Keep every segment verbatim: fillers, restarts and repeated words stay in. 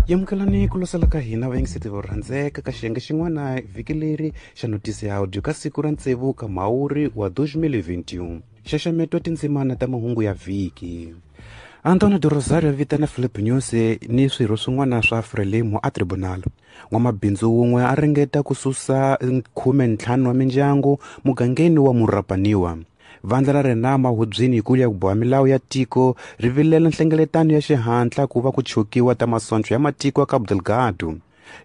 Yamukelani ku losela ka hina vayingiseti vo rhandzeka ka xiyenge xin'wana vhiki leri xa notisi ya audio ka siku ra tsevu ka Mhawuri wa twenty twenty-one. Xaxameto tindzimana ta mahungu ya vhiki. Antonio de Rosario vitana Philip Nyusi ni swirho swin'wana swa Frelimo a tribunal. N'wamabindzu wun'we a ringeta ku susa khume ntlhanu wa mindyangu mugangeni wa Murapaniwa. Vandla ra Renamo hubyini yikulu ya ku boha milawu ya tiko ri vilela nhlengeletano ya xihatla ku va ku chokiwa ta masoncho ya matiko ya Cabo Delgado.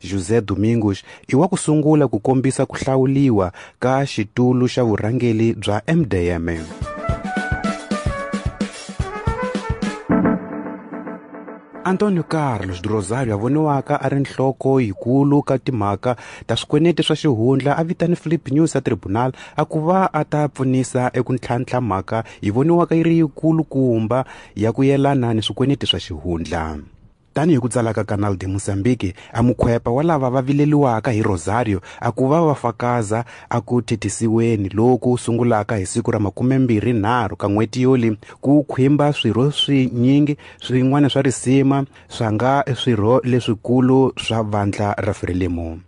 José Domingos i wa ku sungula ku kombisa ku hlawuliwa ka xitulu xa vurhangeri bya M D M. Antonio Carlos de Rosario a voniwaka a ri nhloko yikulu ka timhaka ta swikweleti swa xihundla a vitane Philip Nyusi a tribunal a ku va a ta pfunisa eku ntlhantlha mhaka yi voniwaka yi ri yikulu kumba ya ku yelana ni swikweleti swa xihundla. Tanihi ku tsala ka Canal de Mozambique, a mukhwepa wa lava va vileliwaka hi Rosario a ku va va fakaza a ku thethisiweni loku sungulaka hi siku ra makumembirhi nharhu ka n'hweti yoli ku khwimba swirho swinyingi swin'wana swa risima swa nga swirho leswikulu swa vandla ra Frelimo.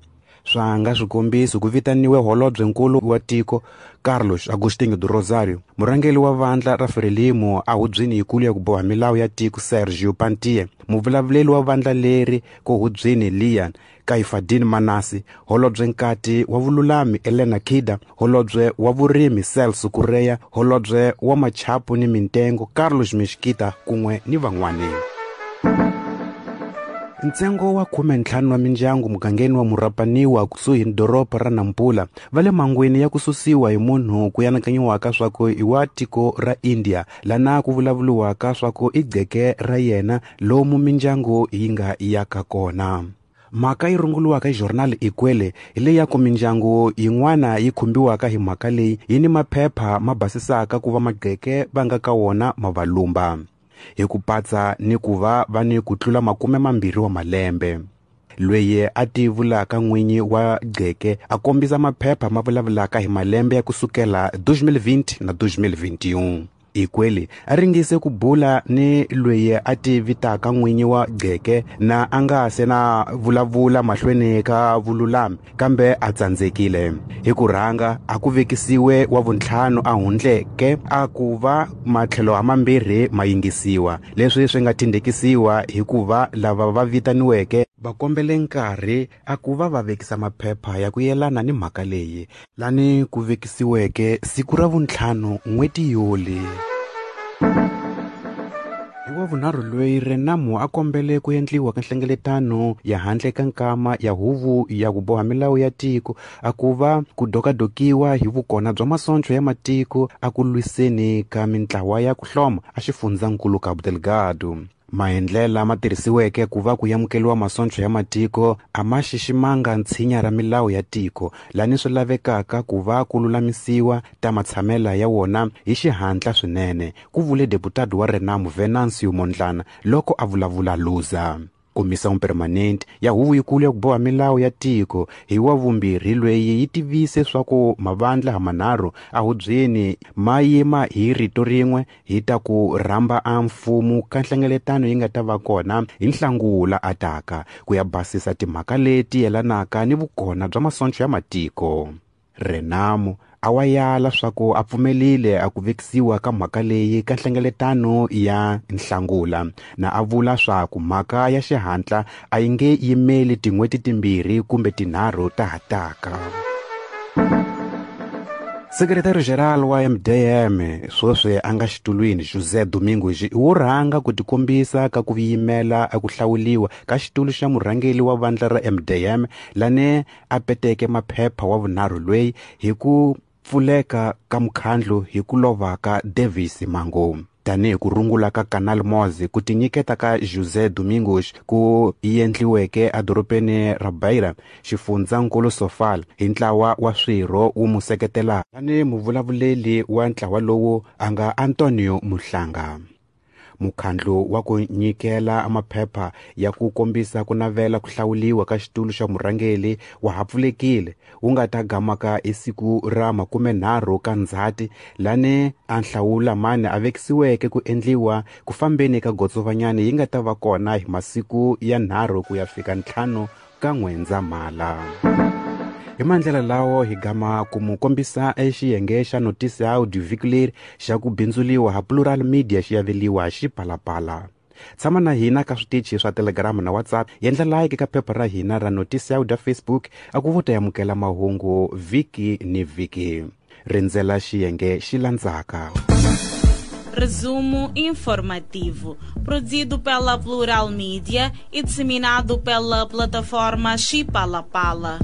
Swa nga swikombiso ku vitaniwe holobyenkulu wa tiko Carlos Agostinho do Rosario, murhangeri wa vandla ra Frelimo a hubyini yikulu ya ku boha milawu ya tiko Sergio Pantie, muvulavuleri wa vandla leri ko hubyini Lian Kaifadin Manasi, holobyenkati wa vululami Elena Kida, holobye wa vurimi Celso Correia, holobye wa machapu ni mintengo Carlos Mesquita kun'we ni van'wani. Ntsengo wa khume ntlhanu wa mindyangu mugangeni wa Murapaniwa kusuhi ni doroba ra Nampula va le mangweni ya ku susiwa hi munhu ku anakanyiwaka swa ku i wa tiko ra India lana ku vulavuriwaka swa ku i gqeke ra yena lomu mindyangu yi nga yaka kona. Mhaka yi runguriwaka hi journal Ikwele hi leyi ya ku mindyangu yin'wana yi khumbiwaka hi mhaka leyi yi ni maphepha ma basisaka ku va magqeke va nga ka wona ma va lumba hi ku patsa ni ku va va ni ku tlula makume mambirhi wa malembe. Lweyi a ti vulaka n'winyi wa gqeke a kombisa maphepha ma vulavulaka hi malembe ya kusukela twenty twenty na twenty twenty-one. Ikwele a ringise ku bula ni lweyi a ti vitaka n'winyi wa gqeke na a nga se na vulavula mahlweni ka vululami kambe a tsandzekile. Hi ku rhanga a ku vekisiwe wa vuntlhanu a hundleke a ku va matlhelo hamambirhi ma yingisiwa, leswi swi nga tindekisiwa hikuva lava va vitaniweke va kombele nkarhi a ku va va vekisa maphepha ya ku yelana ni mhaka leyi lani ku vekisiweke siku ra vuntlhanu n'hweti yoli. Hi wa vunharhu loyi Renamo a kombele ku endliwa ka nhlengeletano ya handle ka nkama ya huvo ya ku boha milawu ya tiko a ku va ku dokadokiwa hi vukona bya masoncho ya matiko a ku lwiseni ka mintlawa ya ku hloma a xifundzankulu Cabo Delgado. Maendlela ma tirhisiweke ku va ku amukeriwa masoncho ya matiko a ma xiximanga ntshinya ra milawu ya tiko lani swi lavekaka ku va ku lulamisiwa ta matshamela ya wona hi xihatla swinene, ku vule deputado wa Renamo Venancio Mondlane loko a vulavula Luza. Comissão Permanente ya huvo yikulu ya ku boha milawu ya tiko hi wa vumbirhi lweyi yi tivise swa ku mavandla hamanharhu a hubyeni ma yima hi rito rin'we hi ta ku rhamba a mfumo ka nhlengeletano yi nga ta va kona hi Nhlangula a taka ku ya basisa timhaka leti yelanaka ni vukona bya masoncho ya matiko. Renamo a wa yala swa ku a pfumelile a ku vekisiwa ka mhaka leyi ka nhlengeletano ya Nhlangula na a vula swa ku mhaka ya xihatla a yi nge yimeli tin'hweti timbirhi kumbe tinharhu ta ha taka. Secretary General wa M D M sweswi a nga xitulwini José Domingos i wo rhanga ku tikombisa ka ku yimela a ku hlawuliwa ka xitulu xa murhangeri wa vandla ra M D M lane a peteke maphepha wa vunharhu loyi hi ku pfuleka ka mukhandlu hi ku lova ka Davis Mango. Tanihi ku rungula ka Canal Moz ku tinyiketa ka José Domingos ku endliweke edorobeni ra Beira xifundzankulu Sofala hi ntlawa wa swirho wu mu seketela tani muvulavuleli wa ntlawa lowu a nga Antonio Muhlanga. Mukhandlu wa ku nyikela maphepha ya ku kombisa ku navela ku hlawuliwa ka xitulu xa murhangeri wa ha pfulekile, wu nga ta gamaka hi siku ra makumenharhu ka Ndzhati, lani a nhlawula mani a vekisiweke ku endliwa ku fambeni ka gotsovanyani yi nga ta va kona hi masiku ya nharhu ku ya fika ntlhanu ka N'wendzamhala. Hi mandlela lawo hi gama ku mu kombisa exiyenge xa Notícia Áudio vhiki leri xa ku bindzuliwa ha Plural Media xi aveliwa Xipalapala. Tshama na hina ka switichi swa Telegram na WhatsApp, yendla like ka phepha ra hina ra Notícia Áudio Facebook, a ku vo ta amukela mahungu vhiki ni vhiki. Rindzela xiyenge xi landzaka. Resumo informativo, produzido pela Plural Media e disseminado pela plataforma Xipalapala.